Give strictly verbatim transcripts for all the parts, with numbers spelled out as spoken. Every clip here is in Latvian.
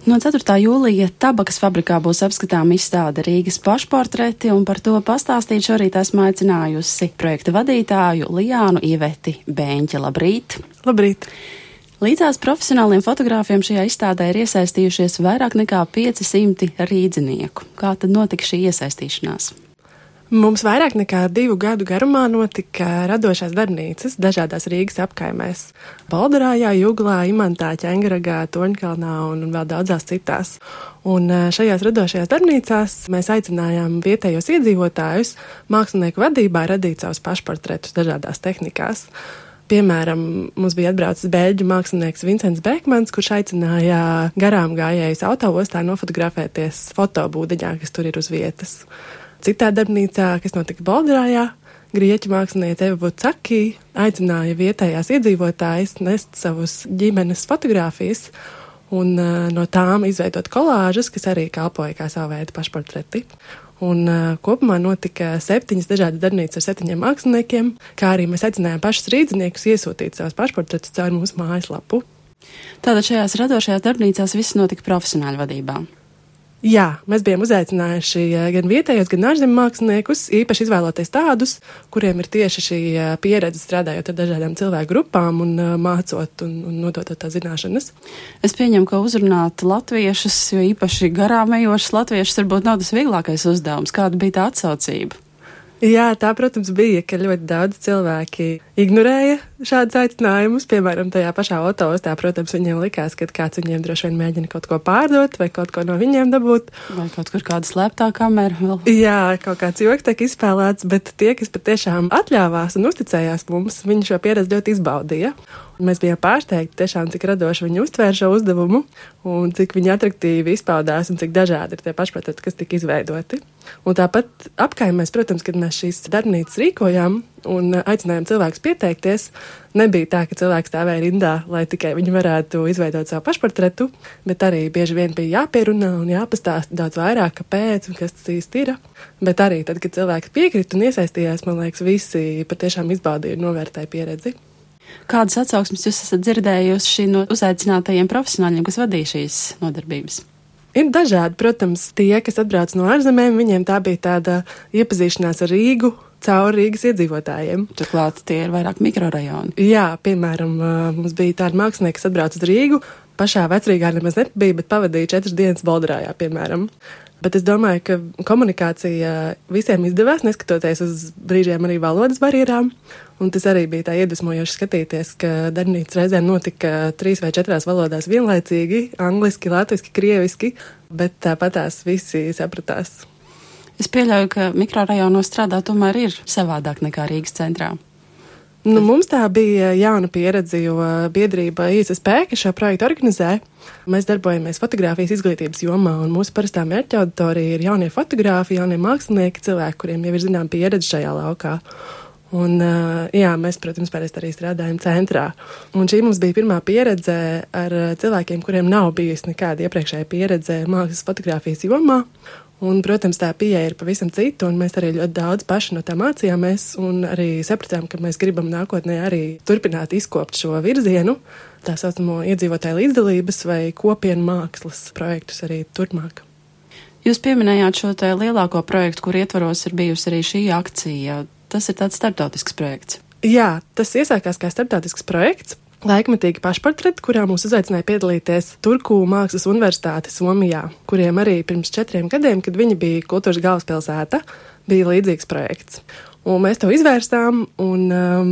No ceturtā jūlija tabakas fabrikā būs apskatāma izstāde Rīgas pašportreti, un par to pastāstīt šorīt esmu aicinājusi projekta vadītāju Lijānu Iveti Bēņķi. Labrīt! Labrīt! Līdzās profesionāliem fotogrāfiem šajā izstādē ir iesaistījušies vairāk nekā pieci simti rīdzinieku. Kā tad notika šī iesaistīšanās? Mums vairāk nekā divu gadu garumā notika radošās darbnīcas dažādās Rīgas apkaimēs – Baldarājā, Juglā, Imantā, Ķengaragā, Toņkalnā un vēl daudzās citās. Un šajās radošajās darbnīcās mēs aicinājām vietējos iedzīvotājus mākslinieku vadībā radīt savus pašportretus dažādās tehnikās. Piemēram, mums bija atbraucis beļģu mākslinieks Vincents Bekmans, kurš aicināja garām gājējus autoostā nofotografēties fotobūdeņā, kas tur ir uz vietas. Citā darbnīcā, kas notika Baldarājā, grieķu māksliniece Eva Vucaki aicināja vietējās iedzīvotājus nest savus ģimenes fotogrāfijas un uh, no tām izveidot kolāžas, kas arī kalpoja kā savu veidu pašportreti. Un uh, kopumā notika septiņas dažādas darbnīcas ar septiņiem māksliniekiem, kā arī mēs aicinājām pašus rīdziniekus iesūtīt savus pašportretus caur mūsu mājaslapu. Tātad šajās radošajās darbnīcās viss notika profesionāļu vadībā? Jā, mēs bijām uzaicinājuši gan vietējos, gan ārzemju māksliniekus, īpaši izvēloties tādus, kuriem ir tieši šī pieredze strādājot ar dažādām cilvēku grupām un mācot un, un nododot tā zināšanas. Es pieņemu, ka uzrunāt latviešus, jo īpaši garām ejošus latviešus varbūt nav tas vieglākais uzdevums. Kāda bija tā atsaucība? Jā, tā, protams, bija, ka ļoti daudz cilvēki ignorēja šādus aicinājumus. Piemēram, tajā pašā autoostā, protams, viņiem likās, ka kāds viņiem droši vien mēģina kaut ko pārdot vai kaut ko no viņiem dabūt. Vai kaut kur kāda slēptā kamera vēl. Jā, kaut kāds joks tiek izspēlēts, bet tie, kas patiešām atļāvās un uzticējās mums, viņi šo pieredzi ļoti izbaudīja. Un mēs bijām pārsteigti tiešām, cik radoši viņi uztvēra šo uzdevumu un cik viņi atraktīvi izpaudās un cik dažādi ir tie pašportreti, kas tika izveidoti. Un tāpat apkaimēs, protams, kad mēs šīs darbnīcas rīkojām un aicinājām cilvēkus pieteikties, nebija tā, ka cilvēks stāvēja rindā, lai tikai viņi varētu izveidot savu pašportretu, bet arī bieži vien bija jāpierunā un jāpastāsta daudz vairāk, kāpēc un kas tas īsti ir. Bet arī tad, kad cilvēki piekrita un iesaistījās, man liekas, visi patiešām izbaudīja un novērtēja pieredzi. Kādas atsauksmes jūs esat dzirdējuši no uzaicinātajiem profesionāļiem, kas vadīja šīs nodarbības? Ir dažādi, protams, tie, kas atbrauc no ārzemēm, viņiem tā bija tāda iepazīšanās ar Rīgu caur Rīgas iedzīvotājiem. Turklāt tie ir vairāk mikrorajoni. Jā, piemēram, mums bija tādi mākslinieki, kas atbrauc uz Rīgu, pašā Vecrīgā nemaz nebija, bet pavadīja četras dienas Baldarājā, piemēram. Bet es domāju, ka komunikācija visiem izdevās, neskatoties uz brīžiem arī valodas barjerām. Un tas arī bija tā iedvesmojoši skatīties, ka darbnīcas reizēm notika trīs vai četrās valodās vienlaicīgi, angliski, latviski, krieviski, bet tāpatās visi sapratās. Es pieļauju, ka mikrorajonos strādā tomēr ir savādāk nekā Rīgas centrā. Nu, mums tā bija jauna pieredze, jo biedrība I S S P, kas šo projektu organizē, mēs darbojamies fotogrāfijas izglītības jomā, un mūsu parastā mērķa auditorija ir jaunie fotogrāfi, jaunie mākslinieki, cilvēki, kuriem jau ir zinām pieredze šajā laukā. Un, jā, mēs, protams, parasti arī strādājam centrā. Un šī mums bija pirmā pieredze ar cilvēkiem, kuriem nav bijusi nekāda iepriekšēja pieredze mākslas fotogrāfijas jomā. Un, protams, tā pieeja ir pavisam cita, un mēs arī ļoti daudz paši no tā mācījāmies, un arī sapratām, ka mēs gribam nākotnē arī turpināt izkopt šo virzienu, tā saucamo iedzīvotāju līdzdalības vai kopienu mākslas projektus arī turpmāk. Jūs pieminējāt šo te lielāko projektu, kur ietvaros ir bijusi arī šī akcija. Tas ir tāds starptautisks projekts. Jā, tas iesākās kā starptautisks projekts. Laikmetīgi pašportreti, kurā mūs uzaicināja piedalīties Turku Mākslas universitāte Somijā, kuriem arī pirms četriem gadiem, kad viņi bija kultūras galvaspilsēta, bija līdzīgs projekts. Un mēs to izvērstām, un um,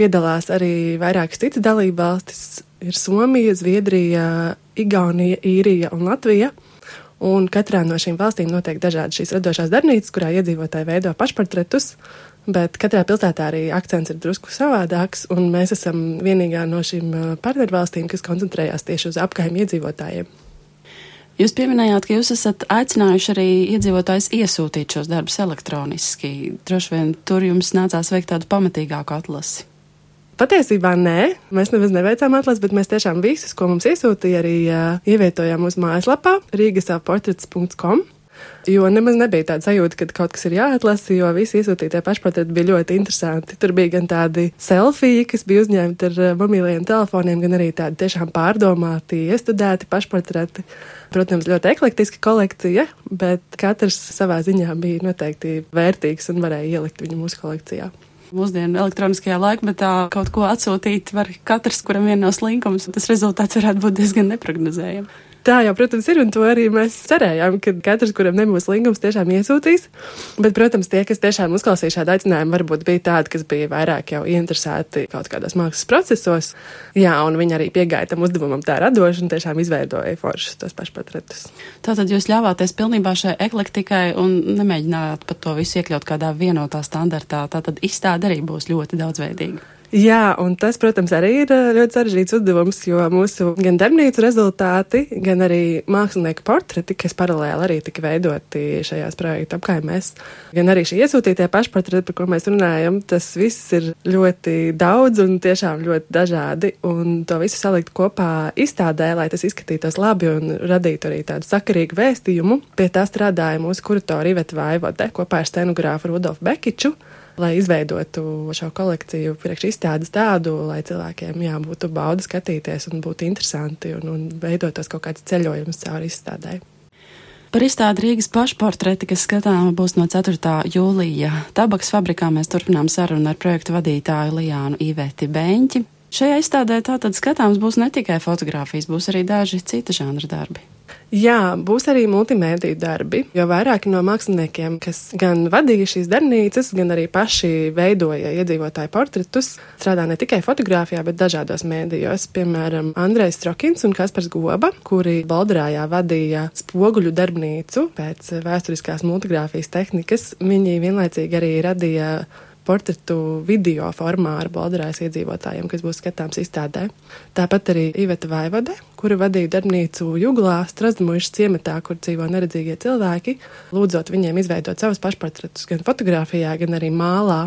piedalās arī vairākas citas dalībvalstis. Ir Somija, Zviedrija, Igaunija, Īrija un Latvija. Un katrā no šīm valstīm notiek dažādi šīs radošās darbnīcas, kurā iedzīvotāji veido pašportretus. Bet katrā pilsētā arī akcents ir drusku savādāks, un mēs esam vienīgā no šīm partnervalstīm, kas koncentrējās tieši uz apkaimju iedzīvotājiem. Jūs pieminējāt, ka jūs esat aicinājuši arī iedzīvotājus iesūtīt šos darbus elektroniski. Droši vien tur jums nācās veikt tādu pamatīgāku atlasi. Patiesībā nē, mēs nemaz neveicām atlasi, bet mēs tiešām visus, ko mums iesūtīja, arī uh, ievietojām uz mājaslapā rīgasaportrets punkts com. jo nemaz nebija tāda sajūta, ka kaut kas ir jāatlasa, jo visi iesūtītie pašportreti bija ļoti interesanti. Tur bija gan tādi selfiji, kas bija uzņemti ar mobilajiem telefoniem, gan arī tādi tiešām pārdomāti, iestudēti pašportreti. Protams, ļoti eklektiska kolekcija, bet katrs savā ziņā bija noteikti vērtīgs un varēja ielikt viņu mūsu kolekcijā. Mūsdienu elektroniskajā laikmetā kaut ko atsūtīt var katrs, kuram vien nav slinkums, un tas rezultāts varētu būt diezgan neprognozējams. Tā jau, protams, ir, un to arī mēs cerējām, ka katrs, kuram nebūs linkums, tiešām iesūtīs. Bet, protams, tie, kas tiešām uzklausīja šādu aicinājumu, varbūt bija tādi, kas bija vairāk jau ieinteresēti kaut kādos mākslas procesos. Jā, un viņi arī piegāja tam uzdevumam tā radoši un tiešām izveidoja foršus tos pašportretus. Tātad jūs ļāvāties pilnībā šai eklektikai un nemēģinājāt pat to visu iekļaut kādā vienotā standartā. Tātad izstāde arī būs ļoti daudzveidīga. Jā, un tas, protams, arī ir ļoti sarežģīts uzdevums, jo mūsu gan darbnīcu rezultāti, gan arī mākslinieku portreti, kas paralēli arī tika veidoti šajās projekta apkaimēs, gan arī šie iesūtītie pašportreti, par ko mēs runājam, tas viss ir ļoti daudz un tiešām ļoti dažādi, un to visu salikt kopā izstādē, lai tas izskatītos labi un radītu arī tādu sakarīgu vēstījumu. Pie tā strādāja mūsu kuratori Iveta Vaivode kopā ar scenogrāfu Rudolfu Bekiču, lai izveidotu šo kolekciju priekš izstādes tādu, lai cilvēkiem jā, būtu bauda skatīties un būtu interesanti un, un veidotos kaut kāds ceļojums cauri izstādē. Par izstādi Rīgas pašportreti, kas skatāma būs no ceturtā jūlija. Tabakas fabrikā mēs turpinām sarunu ar projektu vadītāju Lijānu Iveti Beņķi. Šajā izstādē tātad skatāms būs ne tikai fotogrāfijas, būs arī daži cita žanra darbi. Jā, būs arī multimēdiju darbi, jo vairāki no māksliniekiem, kas gan vadīja šīs darbnīcas, gan arī paši veidoja iedzīvotāju portretus, strādā ne tikai fotogrāfijā, bet dažādos mēdījos. Piemēram, Andrejs Strokins un Kaspars Goba, kuri Bolderājā vadīja spoguļu darbnīcu pēc vēsturiskās multigrāfijas tehnikas. Viņi vienlaicīgi arī radīja portretu video formā ar Bolderājas iedzīvotājiem, kas būs skatāms izstādē. Tāpat arī Iveta Vaivode, kura vadīja darbnīcu Juglā, Strazdmuižas ciematā, kur dzīvo neredzīgie cilvēki, lūdzot viņiem izveidot savus pašportretus gan fotogrāfijā, gan arī mālā.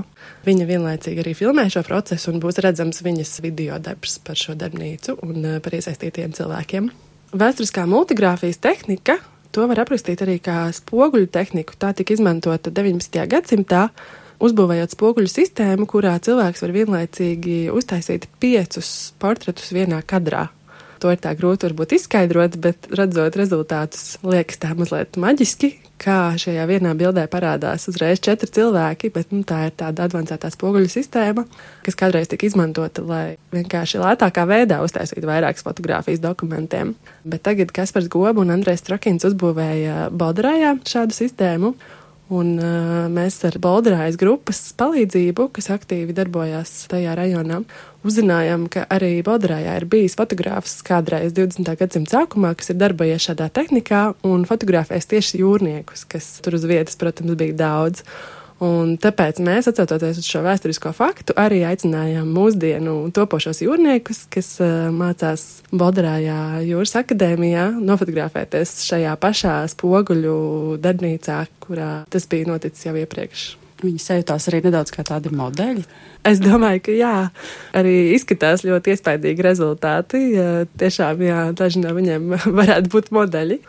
Viņa vienlaicīgi arī filmē šo procesu un būs redzams viņas video darbs par šo darbnīcu un par iesaistītiem cilvēkiem. Vēsturiskā multigrāfijas tehnika, to var aprakstīt arī kā spoguļu tehniku. Tā tika izmantota deviņpadsmitajā gadsimtā, uzbūvējot spoguļu sistēmu, kurā cilvēks var vienlaicīgi uztaisīt piecus portretus vienā kadrā. To ir tā grūti varbūt izskaidrot, bet redzot rezultātus liekas tā mazliet maģiski, kā šajā vienā bildē parādās uzreiz četri cilvēki, bet nu, tā ir tāda advancētā spoguļu sistēma, kas kādreiz tika izmantota, lai vienkārši lētākā veidā uztaisītu vairākas fotogrāfijas dokumentiem. Bet tagad Kaspars Goba un Andrejs Strokins uzbūvēja Bolderājā šādu sistēmu, un uh, mēs ar Bolderājas grupas palīdzību, kas aktīvi darbojās tajā rajonā, uzzinājām, ka arī Bolderājā ir bijis fotogrāfs kādreiz divdesmitā gadsimta sākumā, kas ir darbojies šādā tehnikā un fotografēs tieši jūrniekus, kas tur uz vietas, protams, bija daudz. Un tāpēc mēs, atcaucoties uz šo vēsturisko faktu, arī aicinājām mūsdienu topošos jūrniekus, kas uh, mācās Bolderājā jūras akadēmijā, nofotografēties šajā pašā spoguļu darbnīcā, kurā tas bija noticis jau iepriekš. Viņi sajūtās arī nedaudz kā tādi modeļi. Es domāju, ka jā, arī izskatās ļoti iespaidīgi rezultāti. Tiešām, jā, daži no viņiem varētu būt modeļi.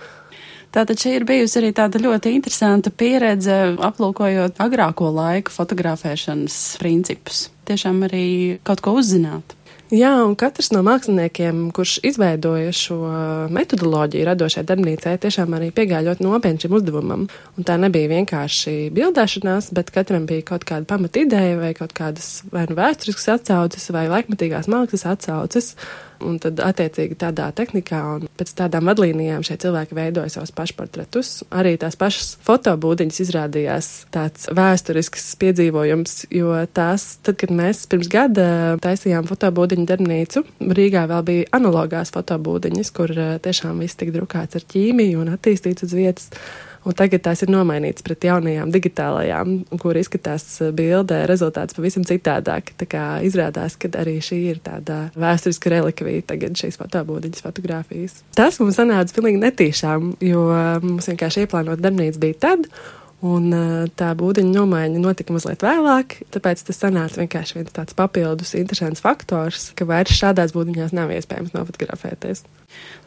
Tātad šī ir bijusi arī tāda ļoti interesanta pieredze, aplūkojot agrāko laiku fotografēšanas principus. Tiešām arī kaut ko uzzināt. Jā, un katrs no māksliniekiem, kurš izveidoja šo metodoloģiju radošai darbnīcai, tiešām arī piegāja ļoti nopietni šim uzdevumam. Un tā nebija vienkārši bildēšanās, bet katram bija kaut kāda pamata ideja vai kaut kādas vai nu vēsturiskas atsauces vai laikmetīgās mākslas atsauces. Un tad attiecīgi tādā tehnikā un pēc tādām vadlīnijām šie cilvēki veidoja savus pašportretus. Arī tās pašas fotobūdiņas izrādījās tāds vēsturisks piedzīvojums, jo tās, tad, kad mēs pirms gada taisījām fotobūdiņu darbnīcu, Rīgā vēl bija analogās fotobūdiņas, kur tiešām viss tika drukāts ar ķīmiju un attīstīts uz vietas. Un tagad tās ir nomainītas pret jaunajām digitālajām, kur izskatās bildē rezultāts pavisam citādāk. Tā kā izrādās, ka arī šī ir tāda vēsturiska relikvija tagad šīs fotobūdiņas fotogrāfijas. Tas mums sanāca pilnīgi netīšām, jo mums vienkārši ieplānot darbnīca bija tad, Un tā būdiņa nomaiņa notika mazliet vēlāk, tāpēc tas sanāca vienkārši viens tāds papildus interesants faktors, ka vairs šādās būdiņās nav iespējams nofotografēties.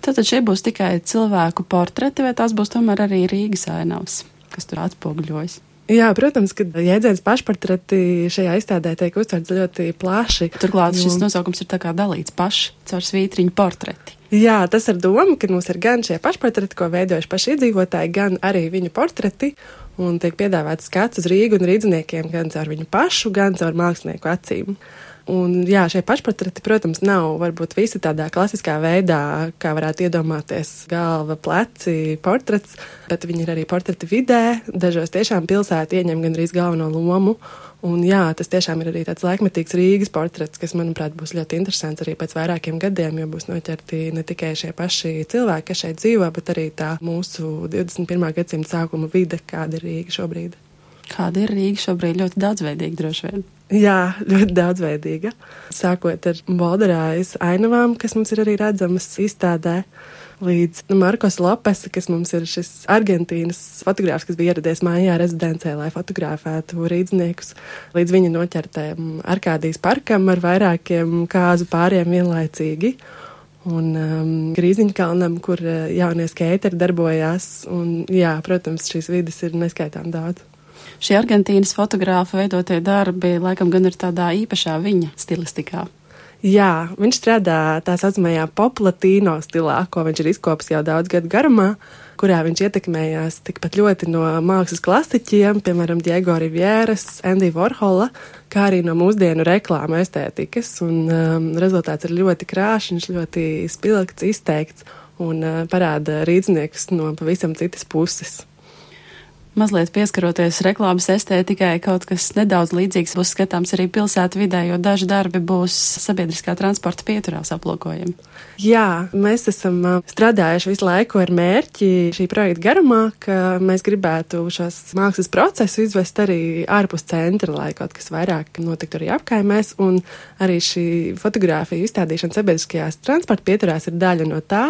Tātad šie būs tikai cilvēku portreti, vai tās būs tomēr arī Rīgas ainavas, kas tur atspoguļojas? Jā, protams, ka jēdziens pašportreti šajā izstādē tiek uztverts ļoti plaši. Turklāt šis nosaukums ir tā kā dalīts paši caur svītriņu portreti. Jā, tas ir doma, ka mums ir gan šie pašportreti, ko veidojuši paši iedzīvotāji, gan arī viņu portreti, un tiek piedāvāts skats uz Rīgu un rīdzniekiem gan caur viņu pašu, gan caur mākslinieku acīm. Un jā, šie pašportreti, protams, nav varbūt visi tādā klasiskā veidā, kā varētu iedomāties galva, pleci, portrets, bet viņi ir arī portreti vidē, dažos tiešām pilsēta ieņem gandrīz galveno lomu. Un jā, tas tiešām ir arī tāds laikmetīgs Rīgas portrets, kas, manuprāt, būs ļoti interesants arī pēc vairākiem gadiem, jo būs noķerti ne tikai šie paši cilvēki, kas šeit dzīvo, bet arī tā mūsu divdesmit pirmā gadsimta sākuma vide, kāda ir Rīga šobrīd. Kāda ir Rīga šobrīd? Ļoti daudzveidīga droši vien. Jā, ļoti daudzveidīga. Sākot ar Bolderājas ainavām, kas mums ir arī redzamas izstādē, līdz Markos Lopesa, kas mums ir šis Argentīnas fotogrāfs, kas bija ieradies mājā rezidencē, lai fotografētu rīdzniekus, līdz viņa noķertēm Arkādijas parkam ar vairākiem kāzu pāriem vienlaicīgi. Un um, Grīziņkalnam, kur uh, jaunie skateri darbojās. Un, jā, protams, šīs vides ir neskaitām daudz. Šie Argentīnas fotogrāfa veidotie darbi laikam gan ir tādā īpašā viņa stilistikā. Jā, viņš strādā tā saucamajā poplatīno stilā, ko viņš ir izkopis jau daudz gadu garumā, kurā viņš ietekmējās tikpat ļoti no mākslas klasiķiem, piemēram, Diego Rivieras, Andy Warhola, kā arī no mūsdienu reklāmu estētikas. Un um, rezultāts ir ļoti krāšņš, ļoti spilgts, izteikts un uh, parāda rīdzniekus no pavisam citas puses. Mazliet pieskaroties reklāmas estētikai, kaut kas nedaudz līdzīgs būs skatāms arī pilsētu vidē, jo daži darbi būs sabiedriskā transporta pieturās aplūkojami. Jā, mēs esam strādājuši visu laiku ar mērķi šī projekta garumā, ka mēs gribētu šos mākslas procesus izvest arī ārpus centra, lai kaut kas vairāk notiktu arī apkaimēs, un arī šī fotogrāfija izstādīšana sabiedriskajās transporta pieturās ir daļa no tā.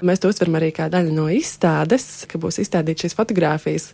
Mēs to uztveram arī kā daļu no izstādes, ka būs izstādīt šīs fotogrāfijas.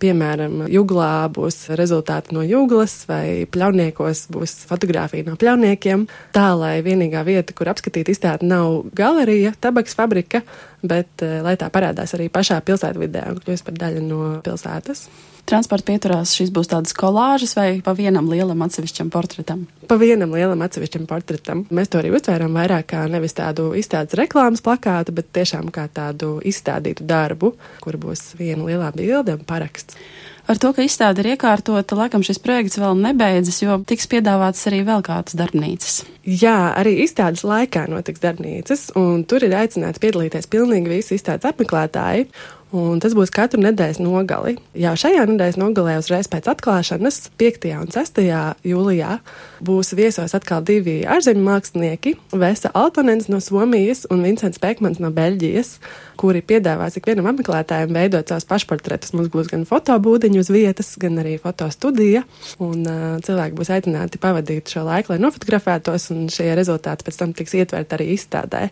Piemēram, Juglā būs rezultāti no Juglas vai Pļauniekos būs fotogrāfija no pļauniekiem. Tā, lai vienīgā vieta, kur apskatīt izstādi, nav galerija, tabaks fabrika, bet lai tā parādās arī pašā pilsētvidē un kļūst par daļu no pilsētas. Transporta pieturās šis būs tādas kolāžas vai pa vienam lielam atsevišķam portretam? Pa vienam lielam atsevišķam portretam. Mēs to arī uztvērām vairāk kā nevis tādu izstādes reklāmas plakātu, bet tiešām kā tādu izstādītu darbu, kur būs viena lielā bilde un paraksts. Ar to, ka izstāde ir iekārtota, laikam šis projekts vēl nebeidzas, jo tiks piedāvātas arī vēl kādas darbnīcas. Jā, arī izstādes laikā notiks darbnīcas, un tur ir aicināti piedalīties pilnīgi visi izstādes apmeklētāji. Un tas būs katru nedēļas nogali. Jau šajā nedēļas nogalē uzreiz pēc atklāšanas, piektajā un sestajā jūlijā, būs viesos atkal divi ārzemju mākslinieki, Vesa Altonens no Somijas un Vincents Pekmans no Beļģijas, kuri piedāvās ikvienam apmeklētājiem veidot savus pašportretus. Mums būs gan fotobūdiņu uz vietas, gan arī fotostudija, un uh, cilvēki būs aicināti pavadīt šo laiku, lai nofotografētos, un šie rezultāti pēc tam tiks ietverti arī izstādē.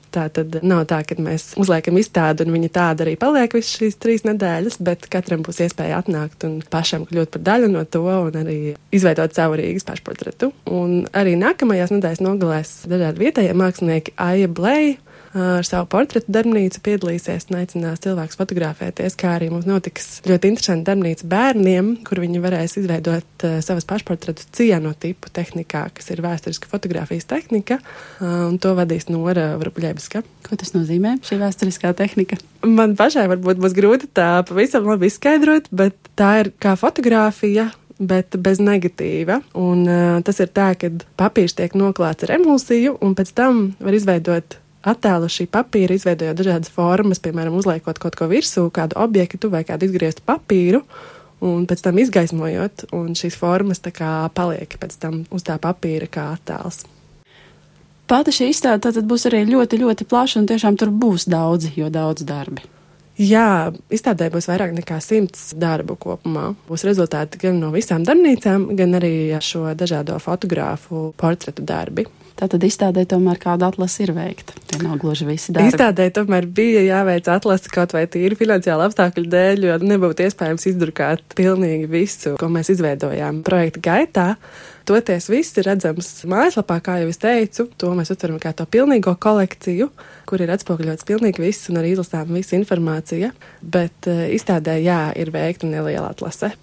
Tā tad nav tā, ka mēs uzliekam izstādi un viņi tāda arī paliek visas šīs trīs nedēļas, bet katram būs iespēja atnākt un pašam kļūt par daļu no to un arī izveidot savu Rīgas pašportretu. Un arī nākamajās nedēļas nogalēs dažādi vietējie mākslinieki Aija Blei ar savu portretu darbnīcu piedalīsies un aicinās cilvēkus fotografēties, kā arī mums notiks ļoti interesanti darbnīca bērniem, kur viņi varēs izveidot uh, savas pašportretus cianotipu tehnikā, kas ir vēsturiska fotografijas tehnika, uh, un to vadīs Nora Vrubļevska. Ko tas nozīmē, šī vēsturiskā tehnika? Man pašai varbūt būs grūti tā pavisam labi izskaidrot, bet tā ir kā fotografija, bet bez negatīva. Un uh, tas ir tā, ka papīrs tiek noklāts ar emulsiju, un pēc tam var izveidot attēlu šī papīra, izveidojot dažādas formas, piemēram, uzliekot kaut ko virsū, kādu objektu vai kādu izgrieztu papīru, un pēc tam izgaismojot, un šīs formas tā kā paliek pēc tam uz tā papīra kā attēls. Pati šī izstāde tātad būs arī ļoti, ļoti plaša, un tiešām tur būs daudzi, jo daudz darbi. Jā, izstādē būs vairāk nekā simts darbu kopumā. Būs rezultāti gan no visām darbnīcām, gan arī šo dažādo fotogrāfu portretu darbi. Tātad izstādē tomēr kāda atlase ir veikta. Tie nav gluži visi darbi. Izstādē tomēr bija jāveic atlase kaut vai tīri finansiāli apstākļu dēļ, jo nebūtu iespējams izdrukāt pilnīgi visu, ko mēs izveidojām projekta gaitā. Toties viss ir redzams mājaslapā, kā jau es teicu, to mēs uztveram kā to pilnīgo kolekciju, kur ir atspoguļots pilnīgi viss un arī izlasām visa informācija, bet uh, izstādē, jā, ir veikta neliela atlase.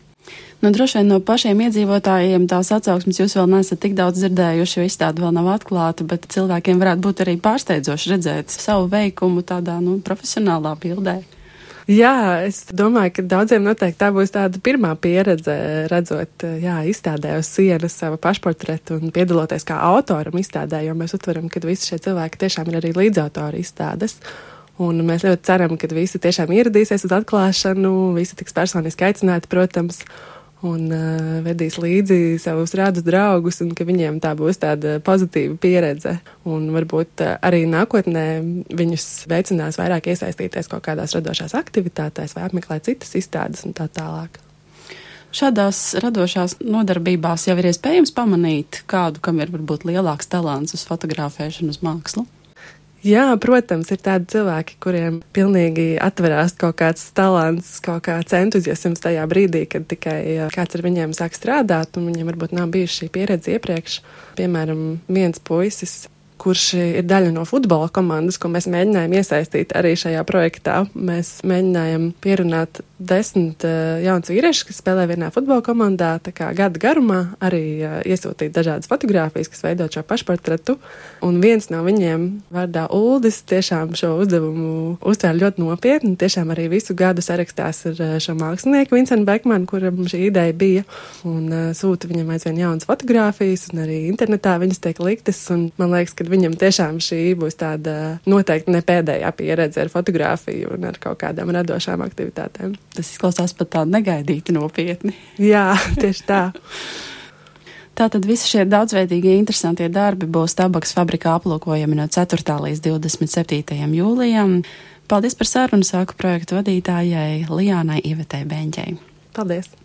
Nu, droši vien no pašiem iedzīvotājiem tās atsauksmes jūs vēl neesat tik daudz dzirdējuši, jo izstāde vēl nav atklāta, bet cilvēkiem varētu būt arī pārsteidzoši redzēt savu veikumu tādā, nu, profesionālā bildē. Jā, es domāju, ka daudziem noteikti tā būs tāda pirmā pieredze, redzot, jā, izstādē uz sienas savu pašportretu un piedaloties kā autoram izstādē, jo mēs uztveram, ka visi šie cilvēki tiešām ir arī līdzautori izstādes. Un mēs ļoti ceram, ka visi tiešām ieradīsies uz atklāšanu, visi tiks personiski aicināti, protams, un uh, vedīs līdzi savus rādus draugus, un ka viņiem tā būs tāda pozitīva pieredze. Un varbūt uh, arī nākotnē viņus veicinās vairāk iesaistīties kaut kādās radošās aktivitātēs vai apmeklēt citas izstādes un tā tālāk. Šādās radošās nodarbībās jau ir iespējams pamanīt kādu, kam ir varbūt lielāks talants uz fotografēšanu, uz mākslu. Jā, protams, ir tādi cilvēki, kuriem pilnīgi atverās kaut kāds talants, kaut kāds entuziasms tajā brīdī, kad tikai kāds ar viņiem sāk strādāt, un viņiem varbūt nav bijusi šī pieredze iepriekš. Piemēram, viens puisis, kurš ir daļa no futbola komandas, ko mēs mēģinājām iesaistīt arī šajā projektā. Mēs mēģinājām pierunāt desmit uh, jauns vīrieši, kas spēlē vienā futbola komandā, tā kā gada garumā arī uh, iesūtīt dažādas fotogrāfijas, kas veidot šo pašportretu. Un viens no viņiem, vārdā Uldis, tiešām šo uzdevumu uztvēra ļoti nopietni. Tiešām arī visu gadu sarakstās ar uh, šo mākslinieku Vincentu Bekmanu, kuram šī ideja bija, un uh, sūta viņam aizvien jaunas fotogrāfijas, un arī internetā viņas tiek liktas, un man liekas, ka viņam tiešām šī būs tāda noteikti ne pēdējā pieredze ar fotogrāfiju un ar kaut kādām radošām aktivitātēm. Tas izklausās pat tā negaidīti nopietni. Jā, tieši tā. Tātad visi šie daudzveidīgie interesantie darbi būs Tabakas fabrikā aplūkojami no ceturtā līdz divdesmit septītajam jūlijam. Paldies par sarunu, sāku projektu vadītājai Lijānai Ivetei Beņķei. Paldies!